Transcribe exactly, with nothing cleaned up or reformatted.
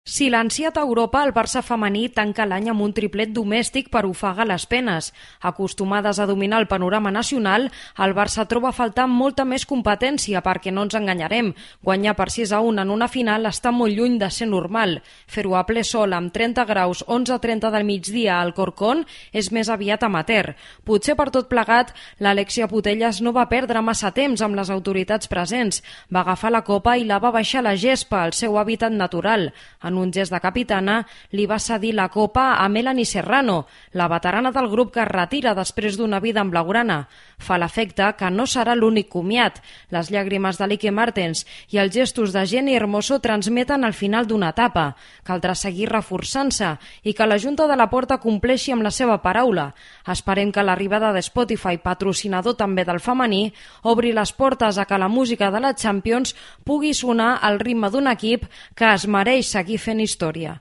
Silenciat a Europa, el Barça femení tanca l'any amb un triplet domèstic per ofegar les penes. Acostumades a dominar el panorama nacional, el Barça troba a faltar molta més competència perquè no ens enganyarem. Guanyar per sis a un en una final està molt lluny de ser normal. Fer-ho a ple sol amb trenta graus, onze a trenta del migdia al Corcón és més aviat amateur. Potser per tot plegat, l'Alexia Putellas no va perdre massa temps amb les autoritats presents. Va agafar la copa i la va baixar a la gespa, al seu hàbitat natural. En un gest de capitana, li va cedir la copa a Melanie Serrano, la veterana del grup que es retira després d'una vida en blaugrana. Fa l'efecte que no serà l'únic comiat. Les llàgrimes de Lique Martens i els gestos de Jenny Hermoso transmeten el final d'una etapa. Caldrà seguir reforçant-se i que la Junta de la Porta compleixi amb la seva paraula. Esperem que l'arribada de Spotify, patrocinador també del femení, obri les portes a que la música de la Champions pugui sonar al ritme d'un equip que es mereix seguir fent història.